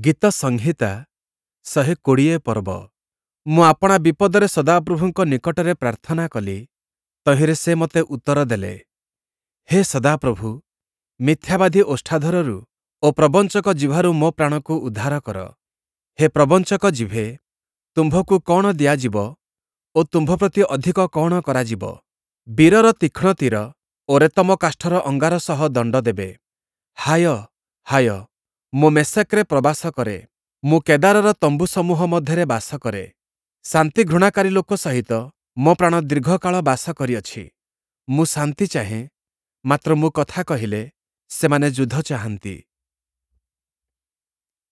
ଗୀତସଂହିତା ୧୨୦ ପର୍ବ। ମୁଁ ଆପଣା ବିପଦରେ ସଦାପ୍ରଭୁଙ୍କ ନିକଟରେ ପ୍ରାର୍ଥନା କଲି, ତହିଁରେ ସେ ମୋତେ ଉତ୍ତର ଦେଲେ। ହେ ସଦାପ୍ରଭୁ, ମିଥ୍ୟାବାଦୀ ଓଷ୍ଠାଧରରୁ ଓ ପ୍ରବଞ୍ଚକ ଜିହ୍ବାରୁ ମୋ ପ୍ରାଣକୁ ଉଦ୍ଧାର କର। ହେ ପ୍ରବଞ୍ଚକ ଜିଭେ, ତୁମ୍ଭକୁ କଅଣ ଦିଆଯିବ ଓ ତୁମ୍ଭ ପ୍ରତି ଅଧିକ କଅଣ କରାଯିବ? ବୀରର ତୀକ୍ଷ୍ଣ ତୀର ଓ ରେତମ କାଷ୍ଠର ଅଙ୍ଗାର ସହ ଦଣ୍ଡ ଦେବେ। ହାୟ, ହାୟ, ମୁଁ ମେଷେକ୍‌ରେ ପ୍ରବାସ କରେ, ମୁଁ କେଦାରର ତମ୍ବୁସମୂହ ମଧ୍ୟରେ ବାସ କରେ। ଶାନ୍ତି ଘୃଣାକାରୀ ଲୋକ ସହିତ ମୋ ପ୍ରାଣ ଦୀର୍ଘକାଳ ବାସ କରିଅଛି। ମୁଁ ଶାନ୍ତି ଚାହେଁ, ମାତ୍ର ମୁଁ କଥା କହିଲେ, ସେମାନେ ଯୁଦ୍ଧ ଚାହାନ୍ତି।